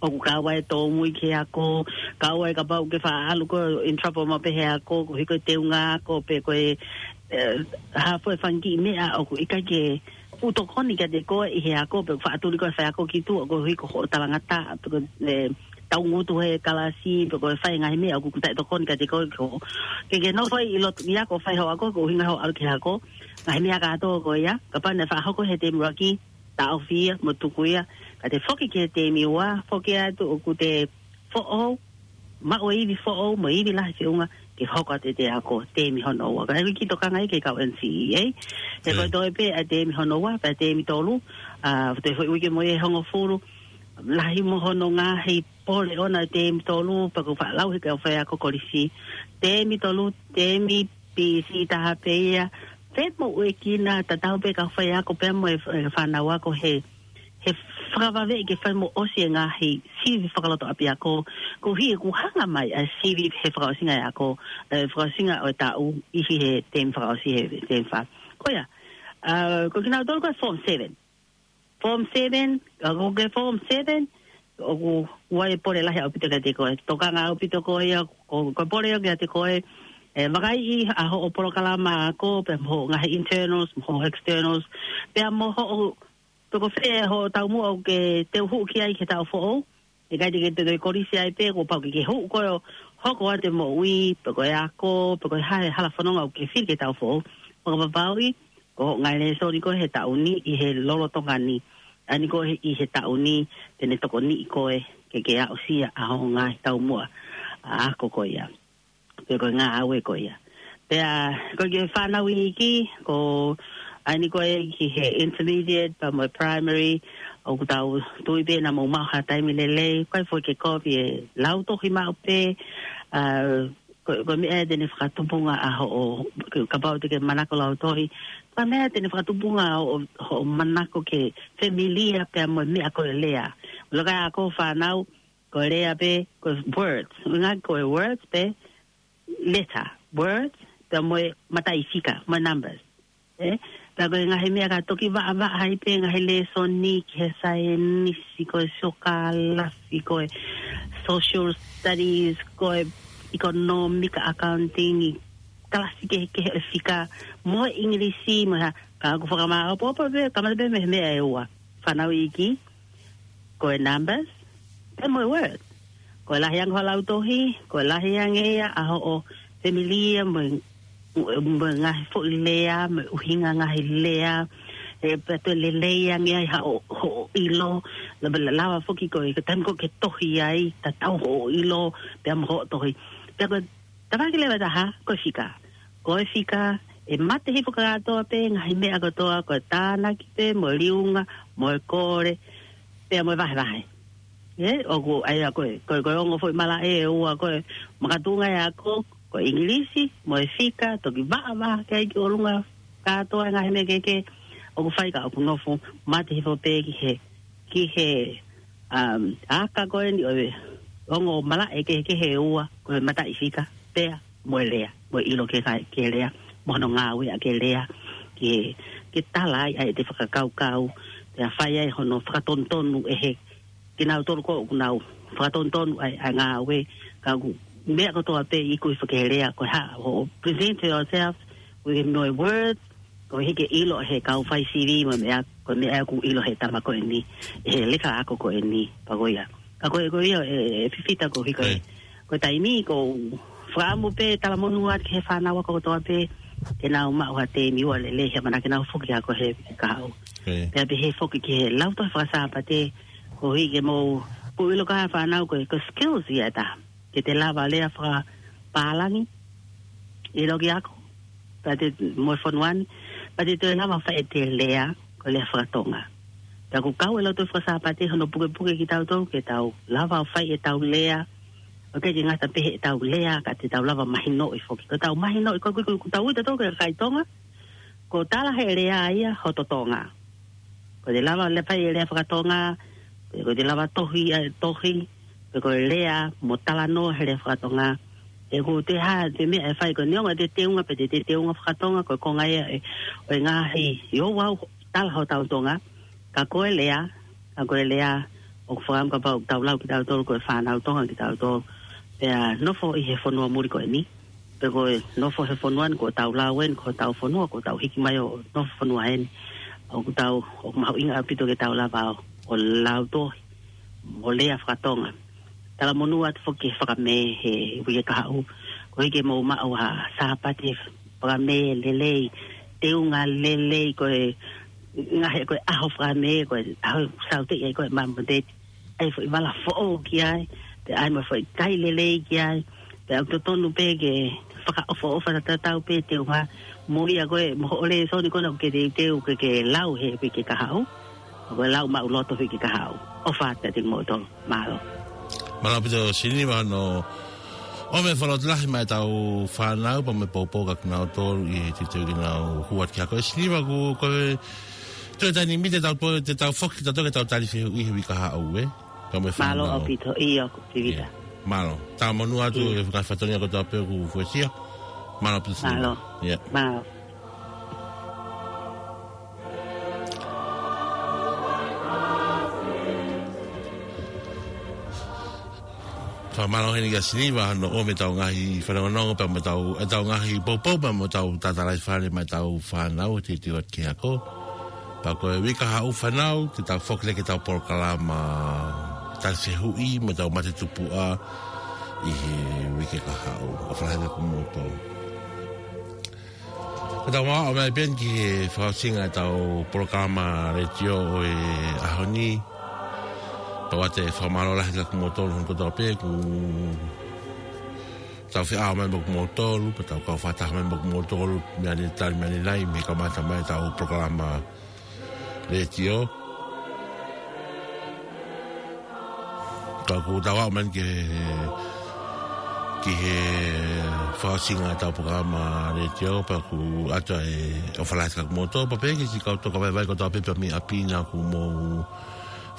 ʻOku kau ai e tōmui ki he ako, kau ai kapau ʻoku ke faʻa ʻalu koe in trouble maʻu pē he ako, koeʻuhi ko e teunga ako, pe ko e, ē, hā fua e fanga kiʻi meʻa ʻoku ʻikai ke fuʻu tokoni kiate koe ʻi he ako, pe ʻoku faʻa tuli koe e faiako ki tuʻa, koeʻuhi ko hoʻo talangataʻa, pe ko e, ē, taungutu he kalasi, pe ko e fai e ngaahi meʻa ʻoku taʻetokoni kiate koe ki hoʻo. Ke ke nofo ai ʻi loto ʻi he ako, fai hoʻo ako, ko e ʻuhinga hoʻo ʻalu ki he ako, ngaahi meʻa kātoa ko ia, kapau naʻe faʻa hoko he teemi ʻuluaki, taʻofi ia, mo tuku ia, ka te foki ki he teemi ua, foki atu ʻoku te foʻou, maʻu e ivi foʻou, mo e ivi lahi feʻunga, ke hoko atu ʻete ako, teemi hono ua. Ka ʻoku ʻikai ke tokanga ia ki he kau N C E A. He Ē. ko e toe pē ʻa e teemi hono ua, pea teemi tolu, ʻa, te foʻi uike mo e hongofulu, lahi mo hono ngaahi pole ʻona e teemi tolu, pea ʻoku faʻa lau he kau faiako kolisi. Teemi tolu, teemi P C taha pē ia, femoʻuekina tatau pē kau faiako pea mo e, e fānau ako he, he fakavaveʻi ke fai mo ʻosi e ngaahi sivi fakalotoʻapiako, koeʻuhi ʻoku hanga mai ʻa e sivi he fakaʻosinga e ako, e fakaʻosinga ʻo e taʻu ʻi he teemi fakaʻosi he teemi fā. Ko ia, ʻa, ko kinautolu ko e form seven. Form seven, ʻa, ko e form seven, ʻoku ʻi ai e pole lahi ʻaupito kiate koe. Tokanga ʻaupito koe ia, ko, ko e pole ia kiate koe, ʻe, vakaiʻi ʻa hoʻo polokalama ako, pea mo hoʻo ngaahi internals, mo hoʻo externals, pea mo hoʻo, pe ko fē hoʻo taumuʻa ʻoku ke teu hū ki ai ki he taʻu foʻou, ʻikai te ke toe kolisi ai pē, kuo pau ke ke hū koe ʻo hoko atu e moʻui, pe ko e ako, pe ko e hā e hala fononga ʻoku ke fili ki he taʻu foʻou. Fakapapauʻi, ko hoʻo ngaahi lēsoni ko ē he taʻu ni, ʻi he lolotonga ni. ʻA eni ko ē ʻi he taʻu ni, te ne tokoniʻi koe, ke ke aʻusia ʻa hoʻo ngaahi taumuʻa, ʻa, ako ko ia. Pe ko e ngāue ko ia. Pea, ko e kiʻi fānau iiki, ko ʻa eni ko ē ki he intermediate, pea mo e primary, ʻoku tau tui pē naʻa mou maʻu ha taimi lelei, ʻikai foki ke kovi e lau tohi maʻu pē, ʻA, ko, ko e meʻa ia te ne fakatupunga ʻa hoʻo, kapau te ke manako lau tohi, ko e meʻa ia te ne fakatupunga ʻa hoʻo, hoʻo manako ke familia pea mo e meʻa ko e lea. Laka ʻa ko fānau, ko e lea pē, ko e words. Ngaahi ko e words pē, letter, words, pea mo e mataʻi fika, mo e numbers. ʻE, pea ko e ngaahi meʻa ka toki vaʻavaʻa ai pē ngaahi lēsoni ki he saienisi, ko e siokālafi, ko e social studies, ko e economic accounting, ʻi kalasi kehekehe ʻo e fika, mo e English, mo e hā, ka ʻoku fakamāʻopoʻopo pē, kamata pē mei he meʻa ʻe ua. Fānau iiki, ko e numbers, pea mo e words. Ko e lahi ange hoʻo lau tohi, ko e lahi ange ia ʻa hoʻo familia mo e, mo e ngaahi foʻi lea, mo e ʻuhinga ngaahi lea, ʻe pea toe lelei ange ai hoʻo, hoʻo ʻilo, la, la, lava foki ko e, ko e taimi ko ē ke tohi ai, tatau hoʻo ʻilo, pea mo hoʻo tohi. Pea ko e tafaʻaki leva ʻe taha, ko e fika. Ko e fika, ʻe mate hifo kātoa pē, ngaahi meʻa kotoa, ko e tānaki pē, mo e liunga, mo e kole, pea mo e vahevahe. ʻE, ʻoku, ʻa ia ko e, ko e, ko e ongo foʻi malaʻe ʻe ua ko e makatuʻunga ʻe ako, ko e English, mo e fika, toki vaʻavaʻa ki ai ki ʻolunga kātoa e ngaahi meʻa kehekehe, ʻoku fai ka ʻoku nofo, mate hifo pē ki he, ki he, um, aka ko eni ʻo e ongo malaʻe kehekehe ʻe ua, ko e mataʻi fika, pea mo e lea, mo e ʻilo ke kai, ke lea, mo hono ngāueʻaki e lea, ke, ke tala ai ʻa ʻete fakakaukau, pea fai ai hono fakatonutonu ʻe he, kinautolu ko ē ʻoku nau fakatonutonu ʻa e, ʻa e ngāue, ka ʻoku meʻa kotoa pē ʻoku ʻi fē ke lea, ko e hā, ʻo present yourself with no words, ko e hiki ʻilo he kau fai sivi mo e meʻa, ko e meʻa ʻoku ʻilo he tama ko eni, he leka ako ko eni, pea ko ia. Ka ko e, ko ia, ʻe, ʻe Fifita ko e hiki, ʻe, ko e taimi ko e fakaʻamu pē talamonū atu ki he fānau ako kotoa pē, ke nau maʻu ha tēmio lelei he ʻamanaki ke nau foki ako he kahaʻu. ʻE. Pea pehē foki ki he lau tohi faka-Sāpate, koeʻuhi ke mou, ʻoku ʻilo ʻe he fānau ko e, ko e skills ia ʻe taha. Ke te lava lea fakapālangi, ʻilo ki he ako, pea te mo e fonua ni, pea te toe lava fai ʻete lea, ko e lea faka-Tonga. Pea ʻoku kau e lau tohi faka-Sāpate hono pukepuke kitautolu, ke tau lava ʻo fai ʻetau lea, ʻoku ʻikai ke ngata pē heʻetau lea, ka te tau lava mahinoʻi foki. Ko ʻetau mahinoʻi, ko, ko, ko, ko ʻetau ui tautolu ko e kakai Tonga, ko e tala he lea ia hoto Tonga. Ko e lava lea fai e lea faka-Tonga, pe ko e lava tohi, ʻa e tohi, pe ko e lea mo talanoa he lea faka-Tonga. ʻE ko e hā, ko e meʻa ʻe fai ko e neongo ʻete teunga, pe ʻete teunga faka-Tonga, ko e konga ia ʻe, ʻo e ngaahi, ʻio ʻoku tala hotau Tonga, ka ko e lea, ka ko e lea, ʻoku fakaʻamu kapau ʻoku tau lau kitautolu ko e fānau Tonga kitautolu. Pea nofo ʻi he fonua muli ko eni. Pe ko e nofo he fonua ni, ko ʻetau lau eni, ko hotau fonua, ko ʻetau hiki mai ʻo nofo fonua eni. ʻOku tau, ʻoku mahuʻinga ʻaupito ke tau lava ʻo, ʻo lau tohi, mo lea faka-Tonga. Talamonū atu foki ki he fakamē he uike kahaʻu. Koeʻuhi ke mou maʻu ha Sāpate fakamē lelei, teunga lelei, ko e ngaahi, ko e ʻaho fakamē, ko e ʻaho ʻoku sauteʻi ai ko e Māmonite. ʻAi foʻi vala foʻou ki ai, pea ʻai mo e foʻi kai lelei ki ai, pea ʻoku totonu pē ke fakaʻofoʻofa tatau pē teunga mo ia ko e mo hoʻo lēsoni ko ena ʻoku ke teuteu ke ke lau he uike kahaʻu. Ko e lau maʻuloto uike kahaʻu. ʻOfa atu kiate kimoutolu. Mālō. Mālō ʻaupito Siniva hono ʻomai e fakalotolahi maʻa ʻetau fānau pea mo e poupou kia kinautolu ʻi he teuteu ke nau hū atu ki he ako. ʻE Siniva, ko e, ko e toe taimi te tau pō, te tau foki, te tau toe tali fehuʻi he uike kahaʻu, ē? Pea mo e fānau. Mālō ʻaupito, ʻio, Pivita. ʻIo. Mālō. Talamonū atu ʻIo. he ngaahi fatongia kotoa pē kuo fuesia. Mālō ʻaupito Siniva. Mālō. ʻIo. Mālō. Fakamālō heni kia Siniva hono ʻomai ʻetau ngaahi fanongonongo pea mo ʻetau, ʻetau ngaahi poupou pea mo ʻetau tatalaifale maʻa ʻetau fānau ʻoku teuteu atu ki he ako. Pea ko e uike kahaʻu fānau, te tau foki leva ki heʻetau polokalama tali fehuʻi mo ʻetau mate tupuʻa ʻi he uike kahaʻu. ʻOfa lahi kia kimoutolu. Ka tau maʻu mai pē eni ki he fakaʻosinga ʻetau polokalama letiō ʻo e ʻaho ni. Pea ʻoatu e fakamālō lahi kia kimoutolu hono kotoa pē kuo tau feʻao mai mo kimoutolu, pea tau kau fakataha mai mo kimoutolu, meʻa ni tali meʻa ni nai, mei he kamata mai ʻetau polokalama letiō. Ka kuo tau aʻu mai eni ki he, ki he fakaʻosinga ʻetau polokalama letiō, pea ʻoku ʻoatu ʻa e ʻofa lahi atu kiate kimoutolu, pea pehē ki he kau tokāteline vaivai kotoa pē mei ʻapi naʻa mou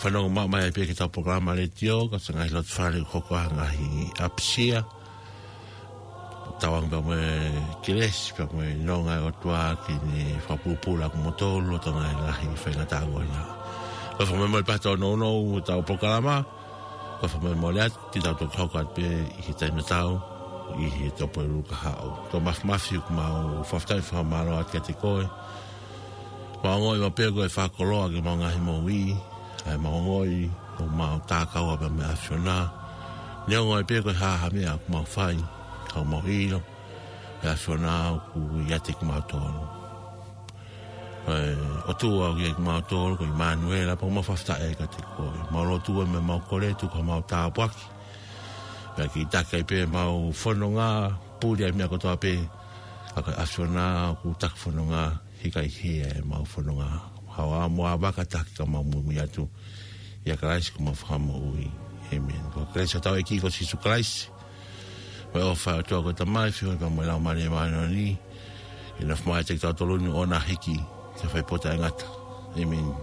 fanongo mai pē ki heʻetau polokalama letiō, ko e ngaahi loto fale ʻoku hoko ʻi he ngaahi ʻapisia. Tauange pea mo e kelesi, pea mo e nonga ʻa e ʻOtua ke ne fakapulupulu ʻa kimoutolu ʻi he ngaahi faingataʻa ko ia. Ko e fakamolemole pē ʻetau nounou ʻetau polokalama, ko e fakamolemole atu, te tau toki hoko atu pē ʻi he taimi tatau, ʻi he Tuʻapulelulu kahaʻu. Toa Mafimafi, ʻoku mau fakafetaʻi fakamālō atu kiate koe. Mau ongoʻi maʻu pē ko e fakakoloa ki heʻemau ngaahi moʻui, ʻa ʻemau ongoʻi ʻoku mau takaua pē mei he ʻAfiona. Neongo ai pē ko e hā ha meʻa ʻoku mau fai, ka ʻoku mau ʻilo ʻa e ʻAfiona ʻoku ʻiate kimautolu. ʻE ʻOtua ʻoku ʻiate kimautolu, ko ʻImanuela, pea ʻoku mau fakafetaʻi kiate koe. Mau lotu ē mo mau kole, tuku haʻamau tāpuaki. Pea ke taki ai pē ʻemau fononga, puli ʻa e meʻa kotoa pē, ʻa e ʻAfiona ʻoku taki fononga, hika ʻi he ʻemau fononga. Haʻu ā mo ʻa vaka taki ka mau muimui atu ʻia Kalaisi ko homau Fakamoʻui. ʻĒmeni. Ko e kelesi ʻa hotau ʻEiki ko Sīsū Kalaisi, mo e ʻofa ʻa e ʻOtua ko e Tamai, feohi pea mo e Laumālie Māʻoniʻoni, ke nofo maʻa kitautolu ni ʻo na hiki ki he fai pō taʻengata. ʻĒmeni.